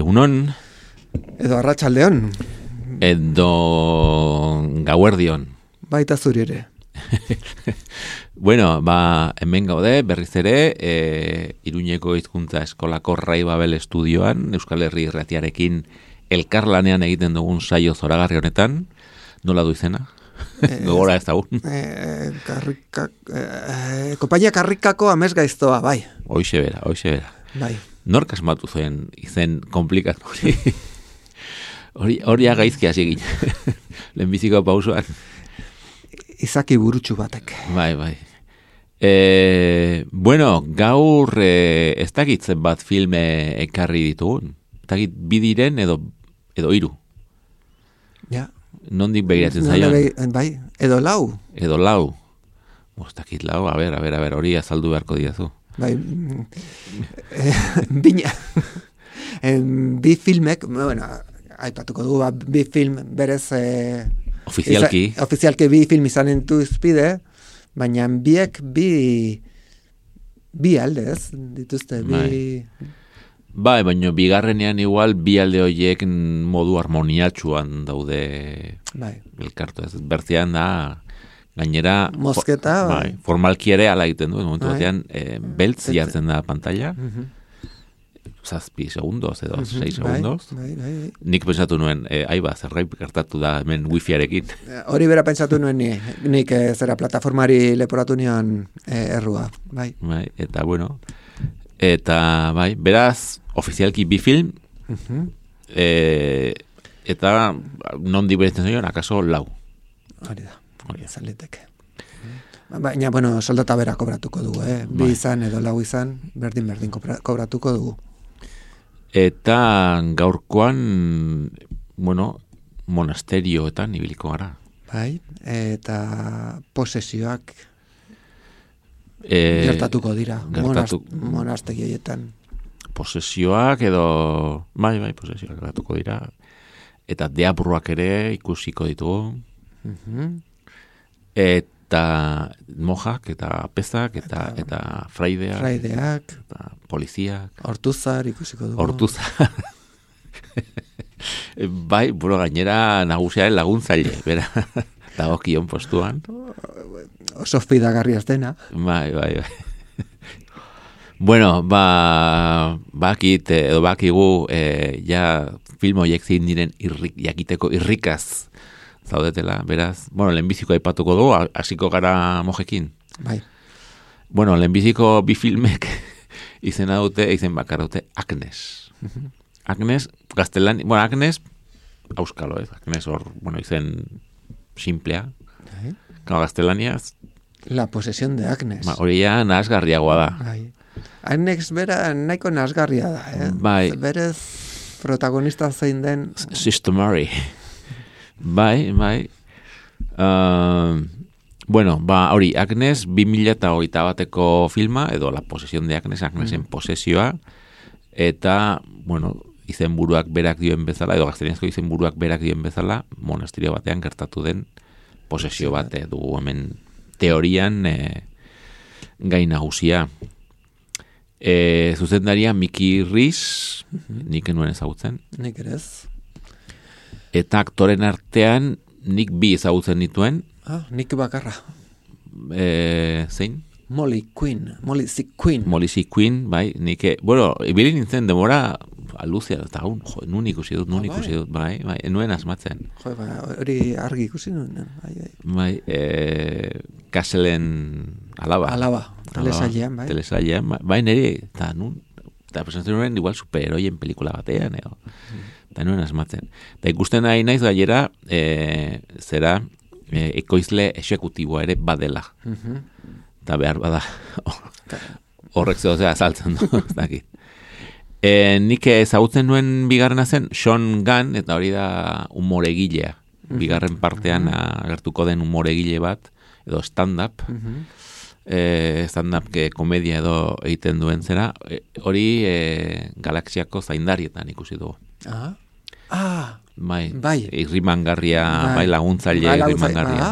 Unon edo arratsaldeon edo gauerdion. Baita zuri ere. Bueno, hemen gaude berriz ere Iruñeko hizkuntza eskolako Rai Babel estudioan Euskal Herri Irratiarekin elkarlanean egiten dugun saio zoragarri honetan. Nola du izena? Gogora ez daun. Konpainia Karrikako amesgaiztoa, bai. Hoixe bera. Bai. Nork asmatu zuen izen komplikatu hori? Hori gaizki hasi egin. Lehenbiziko pausoan. Izaki burutsu batek. Bai. Bueno, gaur ez dakitzen bat filme ekarri ditugun. Ez dakit bi diren edo hiru. Ja. Nondik begiratzen zaion? Bai, edo lau. Ez dakit lau, a ber, hori azaldu beharko diazu. Bai, bina. Bi filmek, bueno, aipatuko dugu, bi film berez... Ofizialki bi film izanen duzpide, baina biek bi aldez dituzte, Bai, baina bigarrenean igual bi alde horiek modu harmoniatsuan daude elkartu ez. Bertzean da... Gainera, mosketa, formalki ere ala egiten du, momentu batean, beltz jartzen da pantalla, 7 segundos edo 6 segundos. Bai. Nik pensatu nuen, zerbait gertatu da hemen wifiarekin. Hori bera pensatu nuen nik zera plataformari leporatu nion errua, bai. Bai, eta bueno, beraz, ofizialki bi film, eta non diberetzen zoion, akaso lau. Hori da. Zaliteke. Baina, bueno, soldata bera kobratuko dugu, Bi izan edo lau izan, berdin kobratuko dugu. Eta gaurkoan, bueno, monasterioetan ibiliko gara. Bai, eta posesioak gertatuko dira, monastegietan. Posesioak edo, bai, posesioak gertatuko dira. Eta deabruak ere ikusiko ditugu. Eta mojak, eta pezak, eta fraideak, eta poliziak. Hortuzar ikusiko dugu. Hortuzar. Bai, buro gainera nagusiaren laguntzaile, bera. Dagokion postuan. Oso fidagarri dena. Bai. Bueno, bakigu, ja film horiek zein diren jakiteko irrikaz zaudetela, beraz. Bueno, lehenbiziko aipatuko dugu, hasiko gara mojekin. Bai. Bueno, lehenbiziko bi filmek izen bakarra dute Agnes. Agnes, gaztelan, bueno, Agnes, auskalo ez, Agnes hor, bueno, izen simplea. Kao gaztelaniaz. La posesión de Agnes. Hori ja nahasgarriagoa da. Bai. Agnes bera nahiko nahasgarria da, Bai. Berez protagonista zein den... Sister Mary. Bai. Bueno, hori, Agnes 2021ko filma, edo La posesión de Agnes, Agnesen posesioa, eta, bueno, izenburuak berak dioen bezala, edo gazteniazko izenburuak berak dioen bezala, monasterio batean gertatu den posesio bat, dugu hemen teorian gai nagusia. Zuzendaria Miki Riz, nik enuen ezagutzen. Nik ere ez. Eta aktoren artean nik bi ezagutzen dituen. Nik bakarra. Zein? Molly C. Quinn, bai. Nik, bueno, ibili nintzen demora aluzia, eta nun ikusi dut, bai, nuen asmatzen. Hori argi ikusi nuen. Bai, Kaselen alaba. Telesailean, bai. Telesailean, bai, niri, eta presentatzen nuen igual superheroien pelikula batean, edo. Eta nuen asmatzen. Eta ikusten nahi naiz gaiera, zera, ekoizle exekutiboa ere badela. Eta behar bada, horrek zehozea azaltzen du, ez dakit. Nik ezagutzen nuen bigarrena zen Sean Gunn, eta hori da humoregilea. Bigarren partean agertuko den humoregile bat, edo stand-up. Stand-up komedia edo egiten duen zera. Hori galaxiako zaindarietan ikusi dugu. Bai. Irrimangarria, bai laguntzaile irrimangarria.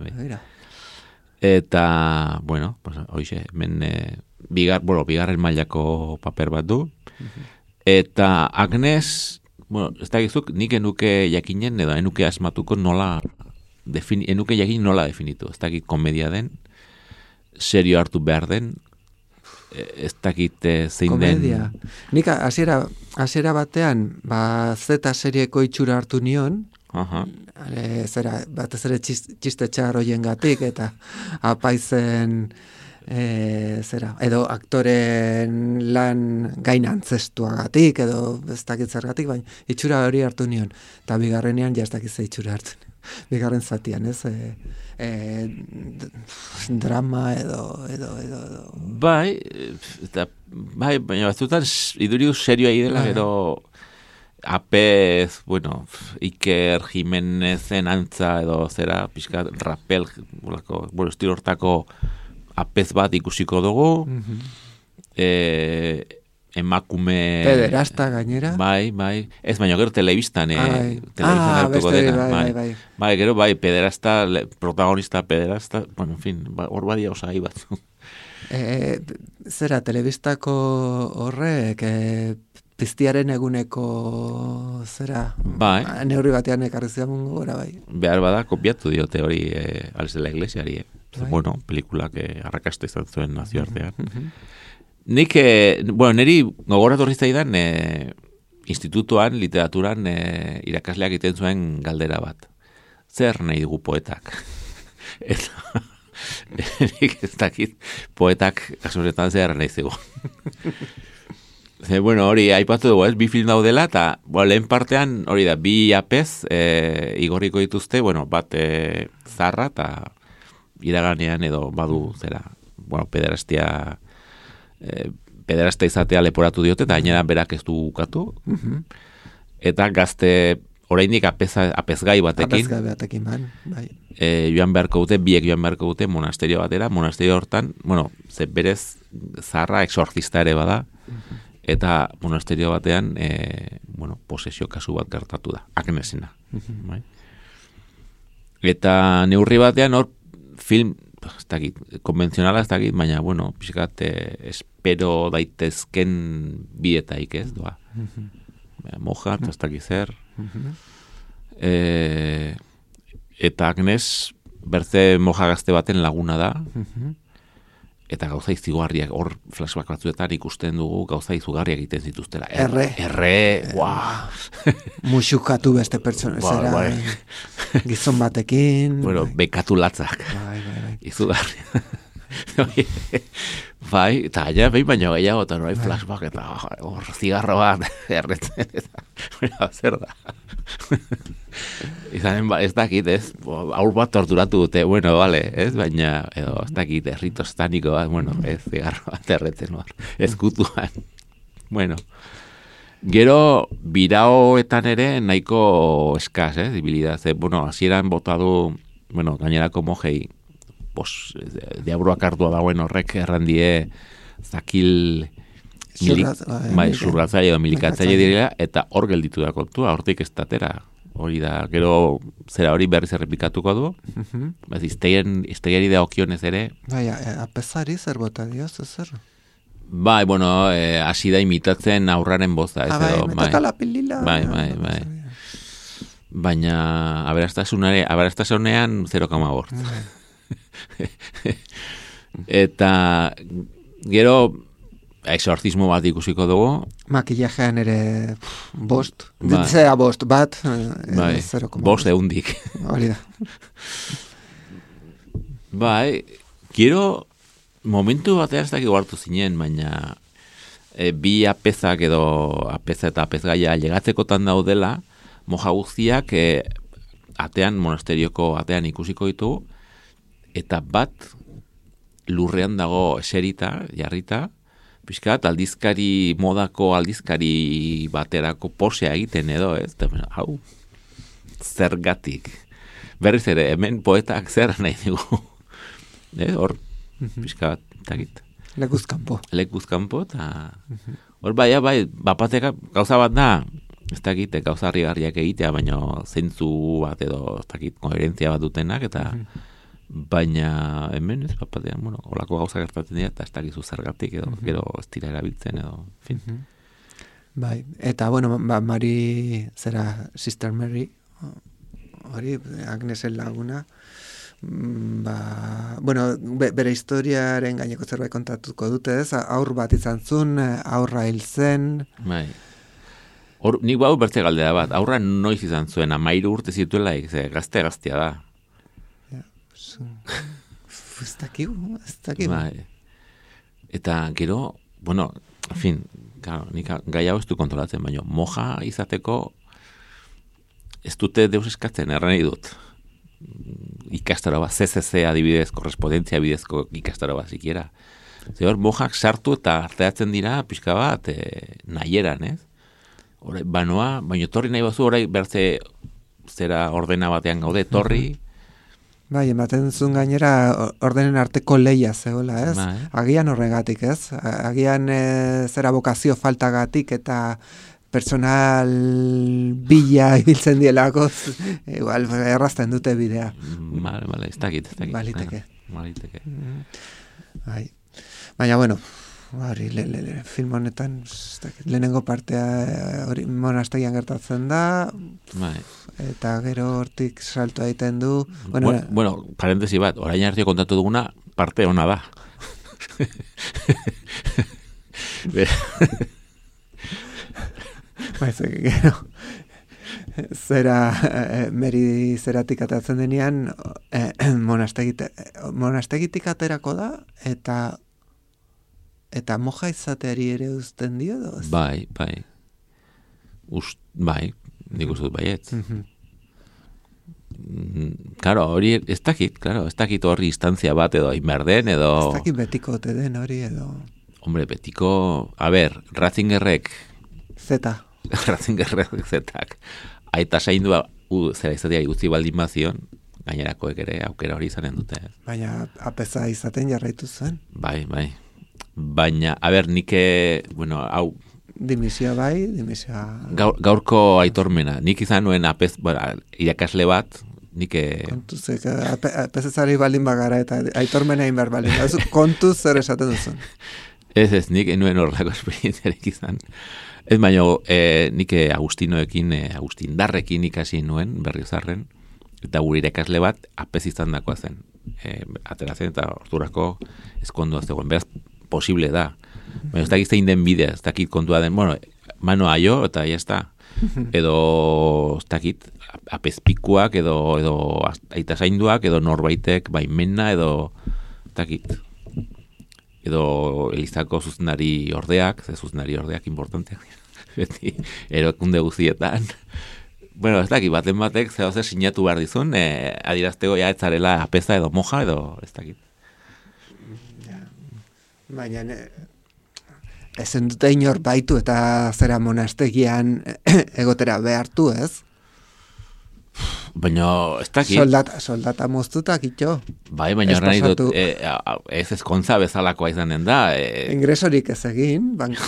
Begira. Eta, bueno, hoxe, hemen bigarren mailako paper bat du. Eta Agnes, bueno, ez da gizuk, nik enuke jakinen, edo enuke asmatuko enuke jakin nola definitu. Ez dakit komedia den, serio hartu behar den, ez dakit zein komedia. Den... Nik hasiera batean, Z serieko itxura hartu nion, batez ere txiste txar hoien gatik, eta apaizen... edo aktoren lan gain antzestuagatik edo ez dakit zergatik, baina itxura hori hartu nion, eta bigarrenean ja ez dakit ze itxura hartu nion. Bigarren zatian, ez? Drama edo. Bai, baina batzutan iduriu serioa idela, gero apez, bueno, Iker Jimenezen antza edo zera, pixka rapel, estilo hortako apez bat ikusiko dugu, emakume... Pederasta gainera. Bai, ez baina gero telebistan, hartuko dena. Bai, gero pederasta, protagonista pederasta, bueno, en fin, hor badia osai bat. Zera, telebistako horrek, piztiaren eguneko zera, neurri batean ekarri ziamun gora, bai. Behar bada, kopiatu diote hori Ales de la Iglesiari, bueno, pelikulak arrakasta izan zuen nazioartean. Nik, niri gogoratu horri zaidan institutuan, literaturan irakasleak egiten zuen galdera bat. Zer nahi dugu poetak? Eta nik ez dakit poetak kasuretan zer nahi zego. Bueno, hori aipatu dugu, bi film daudela, eta lehen partean hori da, bi apez igorriko dituzte, bueno, bat zarra, eta iraganean edo badu zera, bueno, pederasta izatea leporatu diote, eta gainera berak ez du ukatu, eta gazte oraindik apezgai batekin, bai. Joan beharko dute, biek joan beharko dute monasterio batera, monasterio hortan, bueno, berez zarra exorcista ere bada, eta monasterio batean, bueno, posesio kasu bat gertatu da, Agnesena. Bai? Eta neurri batean hor film, ez dakit, konbentzionala ez dakit, baina, bueno, pixkat, espero daitezken bietaik ez, doa. Moja, ez dakit zer. Eta Agnes, berze moja gazte baten laguna da, eta gauza izugarriak, hor flashback batzuetan ikusten dugu gauza izugarriak egiten zituztela. Muxukatu beste pertsona, zera, gizon batekin. Bueno, bekatu latzak. Izugarri. Bai, eta aia behin baino gehiago, eta norai flashback, eta hor zigarro bat, erretzen, eta zer da. Izanen, ez dakit, ez, aur bat torturatu dute, bueno, vale, ez, baina, edo, ez dakit, errito estaniko bat, bueno, ez, zigarro bat erretzen, ezkutuan. Bueno, gero, biraoetan ere nahiko eskaz, dibilidad, bueno, hasieran bota du, bueno, gainerako mojei, diabroak hartua dagoen horrek errandie zakil zurgatzaile edo milikatzaile direla, eta hor gelditu da kontua, hortik ez datera. Hori da, gero zera hori berriz errepikatuko du, iztegiari da okionez ere. Bai, apezari zer bota dioz, zer? Bai, bueno, hasi da imitatzen aurraren boza. Metaka la pilila. Bai. Baina, aberastasunean 0,8. Eta gero exorcismo bat ikusiko dugu. Makillajean ere bost. Ditzea bost bat. Bost eundik. Hori da. Bai, gero momentu batean ez dakik hartu zinen, baina bi apezak edo apeza eta apezgaia legatzekotan daudela, moja guztiak atean, monasterioko atean ikusiko ditugu, eta bat lurrean dago eserita, jarrita, pixkat, aldizkari, modako aldizkari baterako posea egiten edo, ez? Hau, zergatik. Berriz ere, hemen poetak zer nahi dugu. Hor, pixkat, takit. Lekuzkanpo, eta hor bai, bapateka gauza bat da, ez dakit, gauza harrigarriak egitea, baina zentzu bat edo, ez dakit, koherentzia bat dutenak, eta baina hemen ez bapatean, holako gauza gertatzen dira, eta ez dakizu zergatik edo, gero ez dira erabiltzen edo, fin. Bai, eta, Mari, Sister Mary, hori, Agnesen laguna, bere historiaren gaineko zerbait kontatuko dute, ez? Aur bat izan zuen, aurra hil zen. Bai. Nik bau bertze galdera bat, aurra noiz izan zuen, 13 urte zituela, gaztea da. Ez dakigu. Bai. Eta gero, en fin, nik gai hau ez du kontrolatzen, baina moja izateko ez dute deus eskatzen, erran dut. Ikastaro bat, CCC adibidez, korrespondentzia bidezko ikastaro bat zikiera. Zer, mojak sartu eta arteatzen dira, pixka bat, nahieran, ez? Horai, baina torri nahi bazu, horai bertze zera ordena batean gaude, torri. Bai, ematen zuen gainera ordenen arteko leia zegoela, ez? Agian horregatik, ez? Agian zera bokazio faltagatik eta personal bila ibiltzen dielako, igual errazten dute bidea. Bale, ez dakit. Baliteke. Bai. Baina, film honetan, lehenengo partea hori monastegian gertatzen da, eta gero hortik salto egiten du. Parentesi bat, orain arte kontatu duguna, parte ona da. Gero, Meri zeratik atatzen denean, monastegitik aterako da, eta moja izateari ere uzten dio, edo? Bai. Nik uste dut baietz. Claro, hori ez dakit horri instantzia bat edo inberden, edo... Ez dakit betiko ote den hori, edo... Hombre, betiko... Ratzingerrek... Ratzingerrek zetak. Aita zaindua, zera izatea guzti baldin bazion, gainerakoek ere aukera hori izanen dute. Baina apeza izaten jarraitu zuen. Bai. Baina, nik, hau... Dimisioa bai. Gaurko aitormena. Nik izan nuen irakasle bat, nik... Kontuzek, apezezari baldin bagara eta aitormena inbar baldin. Kontuz zer esaten duzun. Ez, nik nuen horrelako esperientziarek izan. Ez baina, nik Agustindarrekin ikasi nuen, Berriozarren, eta gure irakasle bat apez izan dakoa zen. Ateratzen eta ordurako eskondoa zegoen. Beraz, posible da. Baina ez dakit zein den bidea, ez dakit kontua den, mano aio, eta ya está. Edo, ez dakit, apezpikuak, edo aita zainduak, edo norbaitek baimena, edo, ez dakit. Edo Elizako zuzendari ordeak, zuzendari ordeak importanteak, beti, erokunde guztietan. Ez dakit, baten batek, zehoze sinatu behar dizun, adirazteko ja etzarela apeza edo moja, edo, ez dakit. Baina, ezen dute inor baitu eta zera monastegian egotera behartu, ez? Baina, ez dakit. Soldata moztutak itxo. Bai, baina horren nahi dut, ez ezkontza bezalakoa izanen da. Ingresorik ez egin, banko.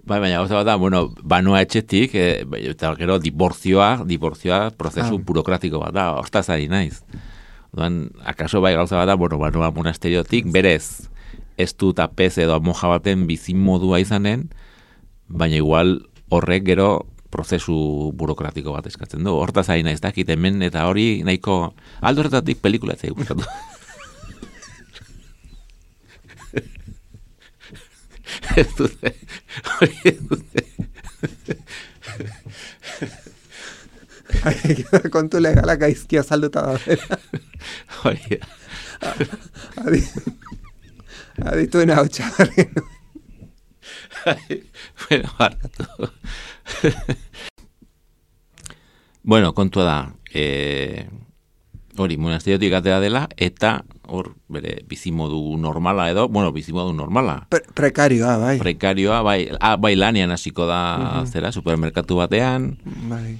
Bai, baina gauza bat da, banua etxetik, eta gero dibortzioa prozesu burokratiko bat da, hortaz ari naiz. Akaso bai gauza bat da, banua monasteriotik, berez, ez dut apez edo moja baten bizin modua izanen, baina igual horrek gero prozesu burokratiko bat eskatzen du. Hortaz ari naiz dakit hemen eta hori nahiko aldo horretatik pelikula ez gustatu. Ez dute. Hori ez dute. Kontu legala gaizki azalduta da. Hori. Adituen hau txabarri. Barkatu. Kontua da, hori, monasteriotik atera dela, eta hor bere bizimodu normala edo, bizimodu normala. Prekarioa, bai. Prekarioa, bai lanean hasiko da, zera, supermerkatu batean. Bai.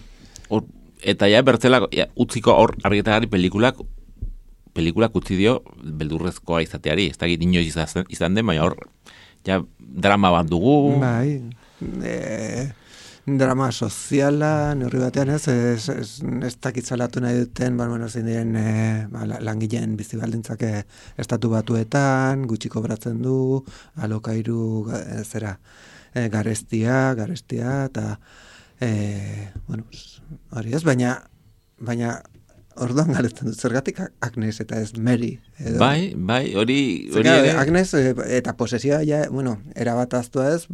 Eta ja bertzela, utziko hor argitagari pelikulak utzi dio beldurrezkoa izateari. Ez dakit inoiz izan den, baina hor, ja drama bat dugu. Bai, drama soziala, neurri batean ez dakitzalatu nahi duten, zein diren langileen bizibaldintzak estatu batuetan, gutxi kobratzen du, alokairu garestia, eta hori ez, baina orduan galetzen dut, zergatik Agnes eta ez Mary. Edo. Bai, hori ere. Agnes eta posesioa, erabat aztua ez,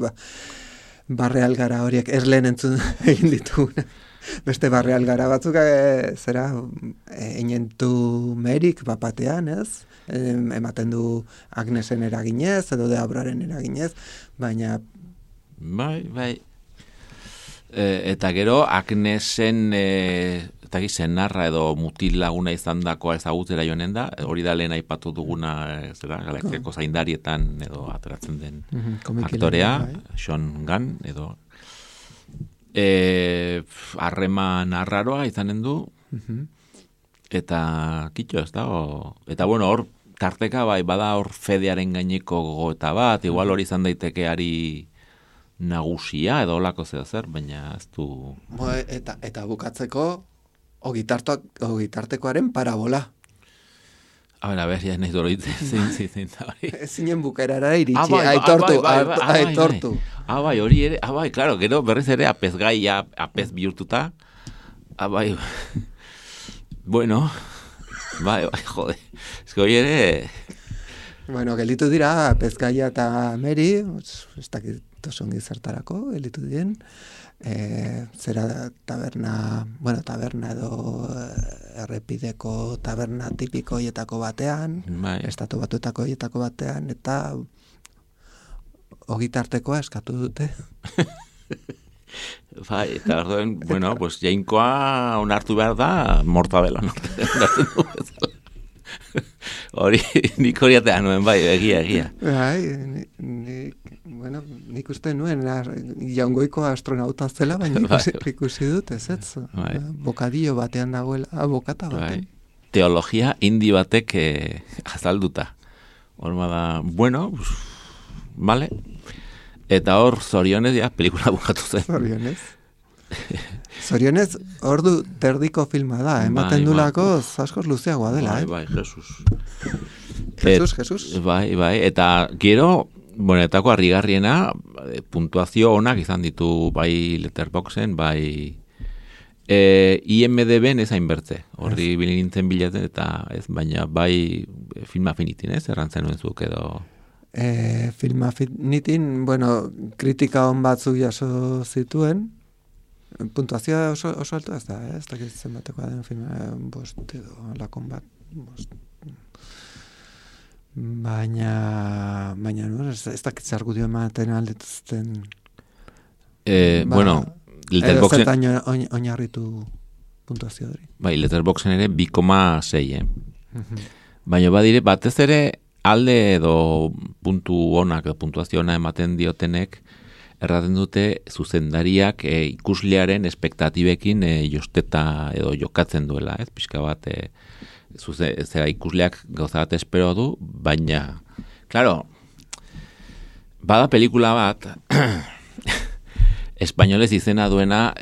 barreal gara horiek erlen entzun egin dituguna. Beste barreal gara batzuk einentu Merik bapatean, ez? Ematen du Agnesen eraginez, edo Deabraren eraginez, baina... Bai. Eta gero Agnesen eta senarra edo mutil laguna izan dakoa ezagutzera joanen da, hori da lehen aipatu duguna galaxiako zaindarietan edo ateratzen den aktorea, Sean Gunn edo harreman arraroa izanen du eta kitxo ez da eta hor tarteka bada hor fedearen gaineko gogoeta bat, igual hori izan daiteke ari nagusia edo olako zer, baina ez du... Eta bukatzeko ogitartekoaren parabola. A ber, ja nahi doroitzen, zein da hori. Zinen bukaerara iritsi, aitortu. Bai, hori ere, bai, klaro, gero berriz ere apezgai, apez bihurtuta. Bai, bueno, bai, jode, ez que hori ere... Gelitu dira, apezgaia eta Meri, ez dakit osongi zertarako, gelitu diren, zera taberna edo errepideko taberna tipiko hietako batean, estatu batuetako hietako batean, eta ogitartekoa eskatu dute. Bai, eta orduan, jainkoa onartu behar da, mortadela onartu du. Hori, nik horiatean nuen, egia. Bai, nik uste nuen, jaungoiko astronauta zela, baina ikusi dut, ez. Bokadillo batean dagoela, bokata batean. Teologia indi batek azalduta. Hor da, vale. Eta hor, zorionez, pelikula bukatu zen. Zorionez, ordu terdiko filma da, ematen dulako askoz luzeagoa dela, Bai, Jesus. Jesus. Bai, eta gero, etako harrigarriena, puntuazio onak izan ditu bai Letterboxen, bai IMDb-en ez hainbertze. Horri bilintzen bilatzen, eta ez, baina bai Film Affinitin, ez, errantzen nuen zuk edo... Film Affinitin, kritika on batzuk jaso zituen, puntuazioa oso alto ez da, ez dakit zenbatekoa den filma, 5 edo lakon bat, 5. Baina ez dakit zer argudio ematen aldetuzten. Letterboxen... Edo zertan oinarritu puntuazio hori. Bai, Letterboxen ere 2,6, Baina badire, batez ere alde edo puntu onak, edo puntuazio ona ematen diotenek, erraten dute zuzendariak ikuslearen espektatibekin josteta edo jokatzen duela, ez? Pixka bat zera ikusleak gauza bat espero du, baina, klaro, bada pelikula bat, espainolez izena duena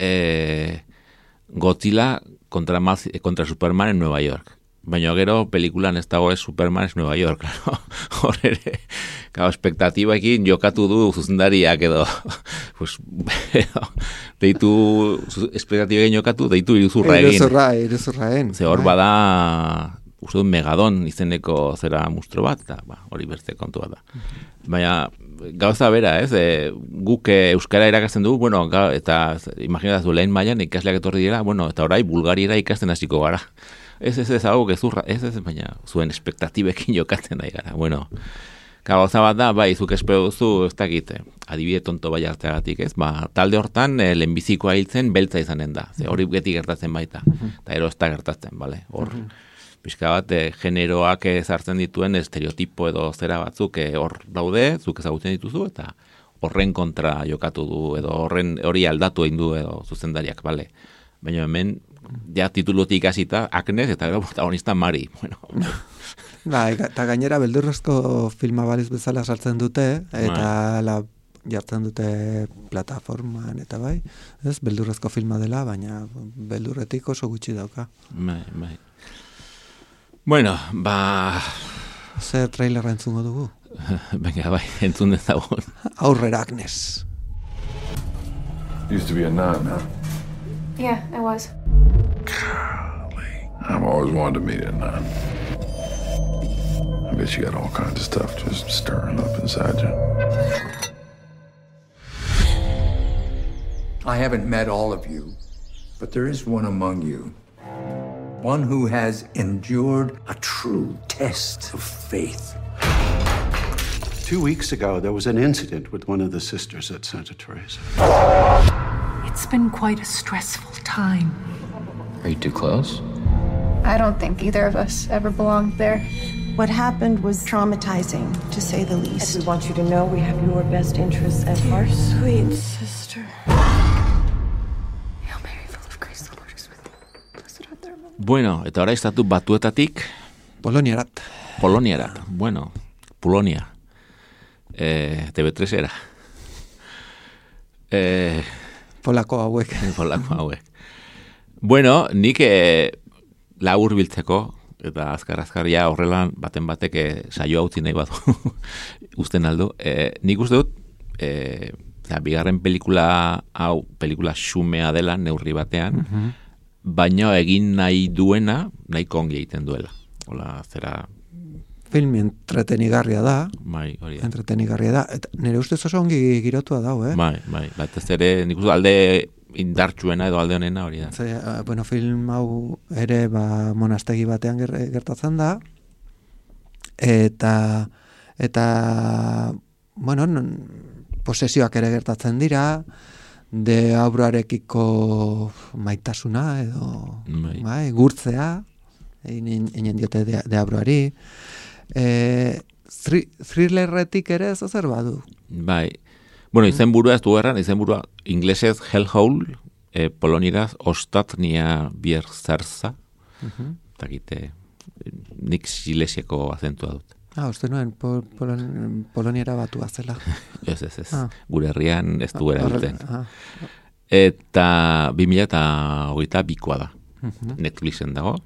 Godzilla contra Superman en Nueva York. Baina gero pelikulan ez dago ez Superman ez Nueva York, claro. Hor ere, espektatibaekin jokatu du zuzendariak edo, deitu espektatibaekin jokatu, deitu iruzurra egin. Iruzurra egin. Ze hor bada, uste dut Megadon izeneko zera mustro bat, eta hori beste kontu bat da. Baina gauza bera, ez? Guk euskara irakasten dugu, eta imaginatzu lehen mailan ikasleak etorri dira, eta orai Bulgariera ikasten hasiko gara. Ez hau gezurra, ez, baina zuen espektatibekin jokatzen nahi gara. Gauza bat da, zuk espero duzu, ez dakit, adibide tonto bai hartzeagatik, ez? Talde hortan, lehenbizikoa hiltzen beltza izanen da. Ze hori beti gertatzen baita. Eta ero ez da gertatzen, bale? Hor, pixka bat, generoak ezartzen dituen estereotipo edo zera batzuk hor daude, zuk ezagutzen dituzu, eta horren kontra jokatu du, edo hori aldatu egin du, edo zuzendariak, bale. Baina hemen, ja titulutik hasita Agnes, eta gero protagonista Mari. Bueno, eta gainera beldurrezko filma baliz bezala sartzen dute, eta jartzen dute plataformaan, eta bai, ez, beldurrezko filma dela, baina beldurretik oso gutxi dauka. Bai. Bueno, zer trailerra entzungo dugu? Venga, bai, entzun dezagun. Aurrera, Agnes. Used to be a nun, huh? Yeah, I was. Golly. I've always wanted to meet a nun. I bet you got all kinds of stuff just stirring up inside you. I haven't met all of you, but there is one among you. One who has endured a true test of faith. 2 weeks ago, there was an incident with one of the sisters at Santa Teresa. It's been quite a stressful time. Are you too close? I don't think either of us ever belonged there. What happened was traumatizing, to say the least. And we want you to know we have your best interests at heart. Sweet sister. Hail Mary, full of grace, the Lord is with you. Blessed art thou among women. Bueno, eta ora estatu batuetatik Poloniarat. Bueno, Polonia. TV3 era. Polako hauek. Bueno, nik labur biltzeko, eta azkar ja horrela baten batek saioa utzi nahi badu usten aldu. Nik uste dut, bigarren pelikula xumea dela neurri batean, baina egin nahi duena, nahi kongi egiten duela. Hola, zera... Film entretenigarria da. Bai, hori da. Entretenigarria da. Eta nire ustez oso ongi girotua dau, Bai. Bat ez ere, nik uste alde indartsuena edo alde honena hori da. Bueno, film hau ere monastegi batean gertatzen da. Eta bueno, posesioak ere gertatzen dira, deabruarekiko maitasuna edo gurtzea, egin diote deabruari. Thrillerretik ere ez zer badu. Bai. Bueno, izenburua ez du erran, izenburua inglesez Hellhole, polonieraz Ostatnia Bierzarza. Takite, nik silesieko azentua dut. Uste nuen, poloniera batua zela. Ez. Gure herrian ez du erabiltzen. Eta 2022koa da. Netflixen dago.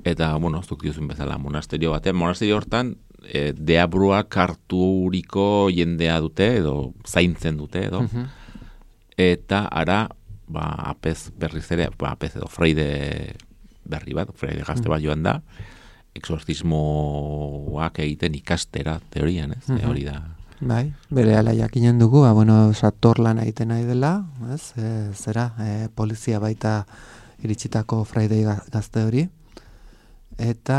Eta, bueno, zuk diozun bezala, monasterio batean. Monasterio hortan, deabruak harturiko jendea dute, edo zaintzen dute, edo. Eta ara, apez berriz ere, apez edo freide berri bat, freide gazte bat joan da, exorcismoak egiten ikastera, teorian, ez? Hori da. Bai, bere ala jakinen dugu, bueno, sator lan egiten nahi dela, ez? Polizia baita iritsitako freide gazte hori. Eta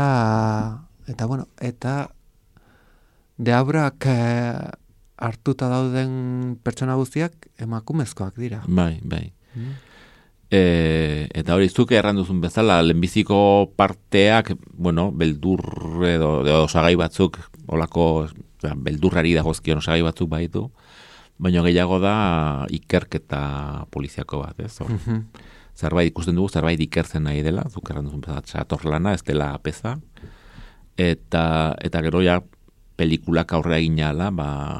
deabrak hartuta dauden pertsona guztiak emakumezkoak dira. Bai. Eta hori zuk erranduzun bezala, lehenbiziko parteak, bueno, beldur edo osagai batzuk, olako beldurrari dagozkion osagai batzuk baitu, baina gehiago da ikerketa poliziako bat, ez? Zerbait ikusten dugu, zerbait ikertzen nahi dela, zuk erranduzun bezala, sator lana, ez dela apeza, eta gero ja pelikulak aurrera egin ala,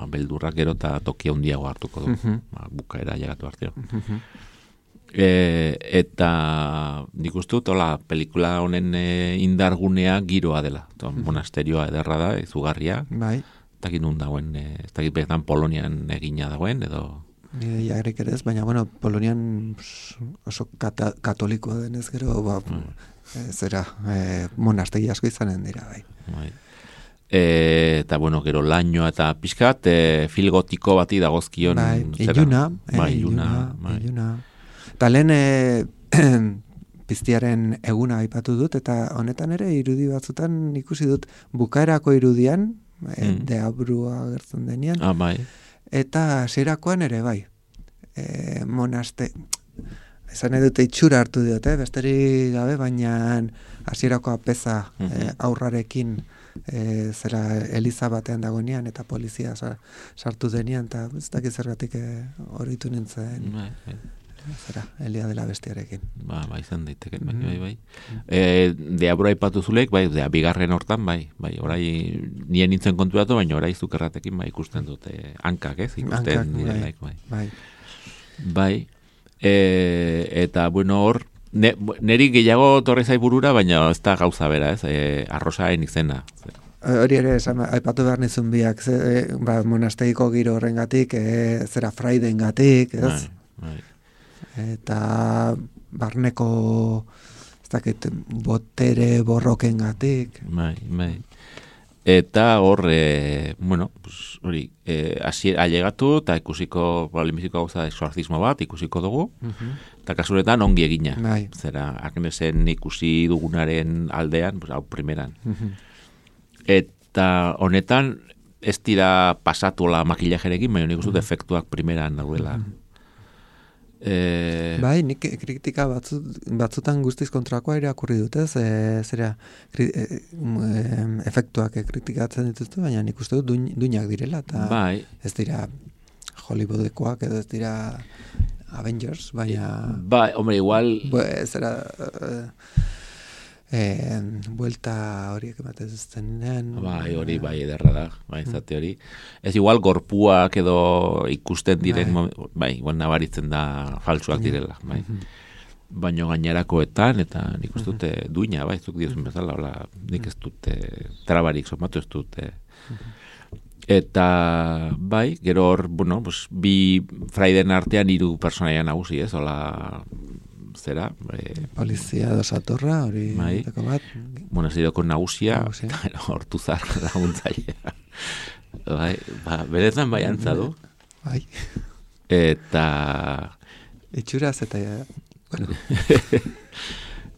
beldurrak gero eta tokia handiago hartuko du, bukaera llegatu arteo. Eta nik uste dut, pelikula honen indargunea giroa dela. Monasterioa ederra da, izugarria. Bai. Ez dakit nun dagoen, ez dakit beretan Polonian egina dagoen, edo... Jagrik ere ez, baina, bueno, Polonian oso katolikoa denez gero, monastegi asko izanen dira, bai. Eta, bueno, gero lainoa eta pixkat, filgotiko bati dagozkion... Iluna. Eta lehen piztiaren eguna aipatu dut, eta honetan ere irudi batzutan ikusi dut bukaerako irudian, deabrua gertzen denean, bai. eta zerakoan ere bai. Esan nahi dute itxura hartu diote, besterik gabe, baina hasierako apeza aurrarekin zera Eliza batean dagoenean eta polizia sartu denean, eta ez dakit zergatik horitu nintzen zera, Elia dela bestiarekin. Bai, izan daiteke, bai. Deabora ipatu zulek, bai, bigarren hortan, bai, orai nien nintzen konturatu, baina orai zukerratekin, bai, ikusten dute hankak, ikusten direlaik, bai. Bai, eta, bueno, hor, neri gehiago torre zaiburura, baina ez da gauza bera, arrosaen izena. Hori ere, aipatu behar nizun biak, monastegiko giro horrengatik, zera fraidengatik, ez? Bai. Eta barneko ez dakit botere borrokengatik. Bai. Eta hor, bueno, pues, hori, ailegatu eta ikusiko, lehenbiziko gauza exorcismo bat ikusiko dugu, eta kasuretan ongi egina. Bai. Zera, Agnesen ikusi dugunaren aldean, pues, hau primeran. Eta honetan, ez dira pasatuela makillajerekin, baina nik uste efektuak primeran dauela. Bai, nik kritika batzutan guztiz kontrakoa irakurri dut, ez? Zera, efektuak kritikatzen dituzte, baina nik uste dut duinak direla, eta ez dira Hollywoodekoak, edo ez dira Avengers, baina... Bai, hombre, igual... Zera... buelta horiek ematen zuztenean. Bai, hori, bai, ederra da, bai, zate hori. Ez igual gorpuak edo ikusten diren, bai, igual nabaritzen da falsuak direla, bai. Baino gainerakoetan, eta nik uste dute duina, bai, zuk diozun bezala, hola, nik ez dute trabarik somatu ez dute. Eta, bai, gero hor, bueno, pues, bi fraiden artean 3 personaia nagusi, ez, hola... zera, polizia dosatorra, hori dako bat. Bueno, zidoko nagusia, hortuzar laguntzailea. Bai, beretan bai antzadu. Bai. Eta... itxuraz eta... bueno.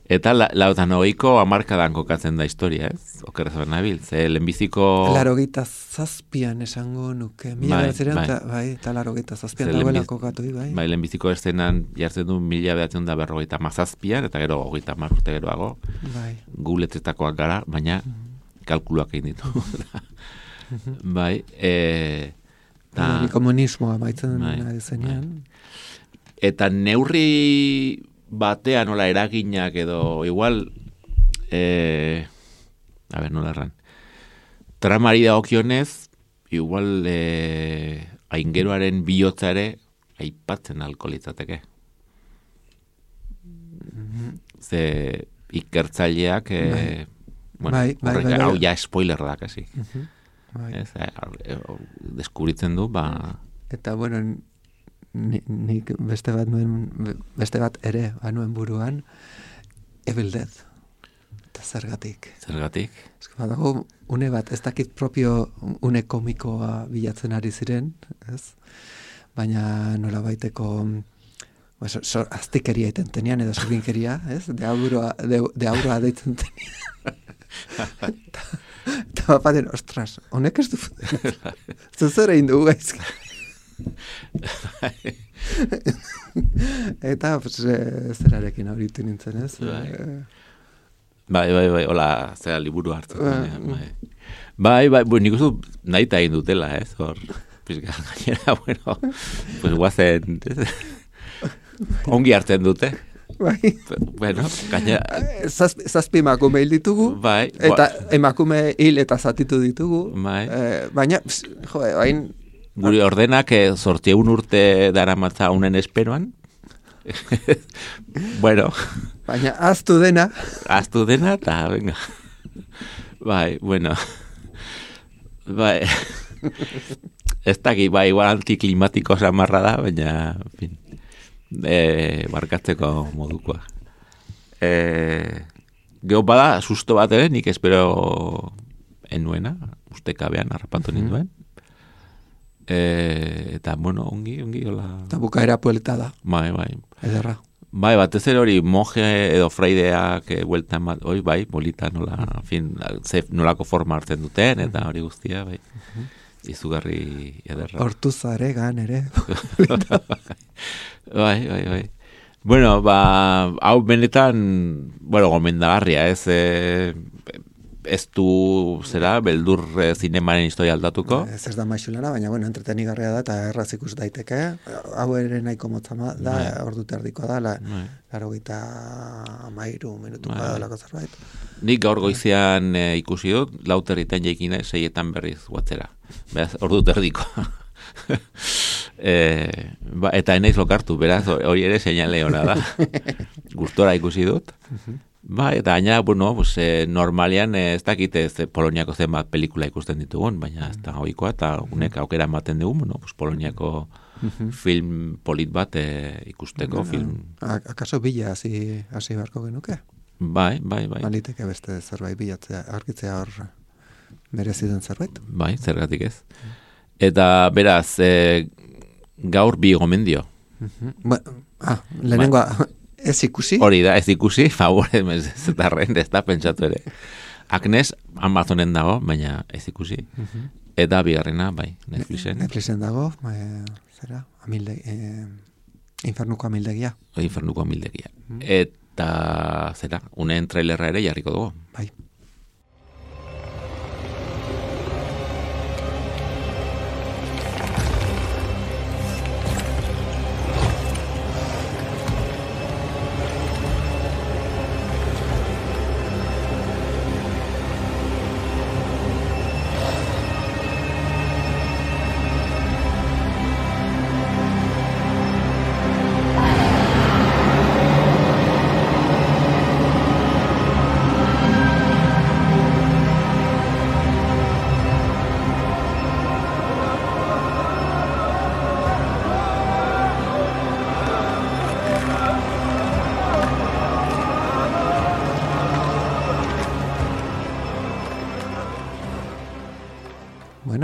Eta lautan hogeiko hamarkadan kokatzen da historia, ez? Okerrezoan nabil, ze lehenbiziko... 87an esango nuke. Eta 87an dagoela kokatu, bai. Bai, lehenbiziko eszenan jartzen du 1957an, eta gero 30 urte geroago. Bai. Guletzetakoak gara, baina kalkuluak egin ditu. Bai, komunismoa maitzen ari zenean. Eta neurri... batean nola eraginak edo igual nola erran tramari dagokionez igual aingeroaren bihotza ere aipatzen alko litzateke ze ikertzaileak hau ja spoiler da kasi deskubritzen du eta bueno nik beste bat ere banuen buruan Evil Dead eta zergatik badago une bat ez dakit propio une komikoa bilatzen ari ziren, ez? Baina nola baiteko aztikeria iten tenean edo zorbinkeria, ez? De aurroa deitzen tenean eta bapaten, ostras, honek ez du zuzera indu gaizki. Eta zerarekin horitu nintzen, ez? Bai, hola, zera liburu hartu. Bai, nik uste nahi eta egin dutela, ez? Hor, pizka, gainera, bueno, pues guazen, ongi hartzen dute. Bai. Bueno, gainera... Zazpi emakume hil ditugu, eta emakume hil eta zatitu ditugu. Baina, bain... Guri ordenak 8 urte daramatza unen esperoan. Bueno. Baina aztu dena, eta venga. Bai, bueno. Bai. Ez daki, bai, igual antiklimatiko samarra da, baina, en fin, barkatzeko modukoa. Gero bada, susto bat ere, nik espero enuena, ustekabean harrapatu ninduen. Eta, bueno, ongi, hola... Eta bukaera puelta da. Bai. Ederra. Bai, batez ere hori monje edo fraideak bueltan bat, bai, bolita nola, fin, nolako forma hartzen duten, eta hori guztia, bai. Izugarri ederra. Hortuzare gan ere. Bai. Bueno, hau benetan, gomendagarria, ez du, beldur zinemaren historia aldatuko. Ez da maixulana, baina, entretenigarria da, eta erraz ikus daiteke. Hau ere nahiko motzama da, ordu terdikoa da, 83 minutuko da lako zerbait. Nik gaur goizean ikusi dut, 4:00 jaikina, 6:00 berriz guatzera. Beraz, ordu terdikoa. Eta enaiz lokartu, beraz, hori ere seinale hona da. Gustora ikusi dut. Eta gaina, normalian ez dakite Poloniako zenbat pelikula ikusten ditugun, baina ez da ohikoa, eta unek aukera ematen dugu, Poloniako film polit bat ikusteko. Akaso bila hasi beharko genuke? Bai. Baliteke beste zerbait bilatzea, argitzea hor mereziden zerbait? Bai, zergatik ez. Eta beraz, gaur bi gomendio. Lehenengoa, ez ikusi? Hori da, ez ikusi, favore, ez da pentsatu ere. Agnes, Amazonen dago, baina ez ikusi. Eta bigarrena, bai, Netflixen. Netflixen dago, zera, Infernuko amildegia. Infernuko amildegia. Eta, zera, unen trailerra ere jarriko dugu. Bai.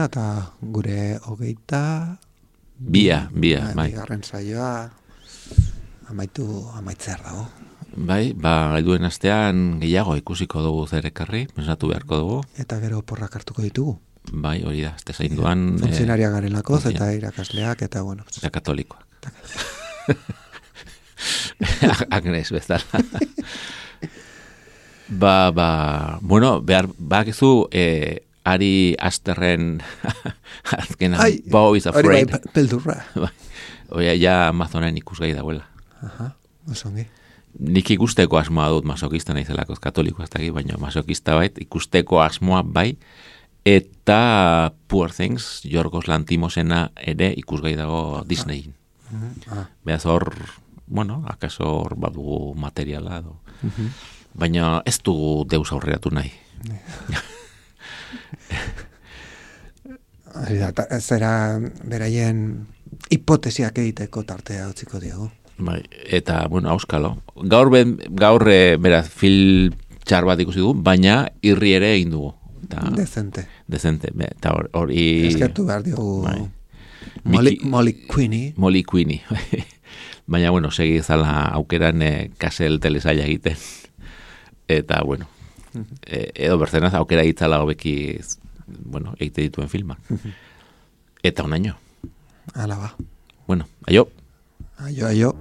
Eta gure 22 bai. Bigarren saioa amaitzer dago. Bai, helduen astean gehiago ikusiko dugu zer ekarri, pensatu beharko dugu. Eta gero porrak hartuko ditugu. Bai, hori da, este zainduan... Funtzionaria garelako, eta irakasleak, eta bueno... Eta katolikoak. Agnes, bezala. Bakizu... Ari Asterren azkena Bo is Afraid. Hori peldurra. Oia, ja Amazonen ikusgai dagoela. Osongi. Nik ikusteko asmoa dut masokista naizelako katolikoa ez dakit, baina masokista bait, ikusteko asmoa bai, eta Poor Things, Yorgos Lanthimosena ere ikusgai dago Disneyin. Beaz hor, akaso hor badugu materiala, baina ez dugu deus aurreratu nahi. Zera beraien hipotesiak egiteko tartea utziko diogu. Bai, eta, auskalo. Gaur beraz, film txar bat ikusi du, baina irri ere egin dugu. Dezente. Eta hori... Eskertu behar diogu Molly Queenie. Baina, segi zala aukeran kasel telesaila egiten. Eta, edo berzenaz aukera itzala hobeki egite dituen filmak. Eta unaino. Ala ba. Aio. Aio.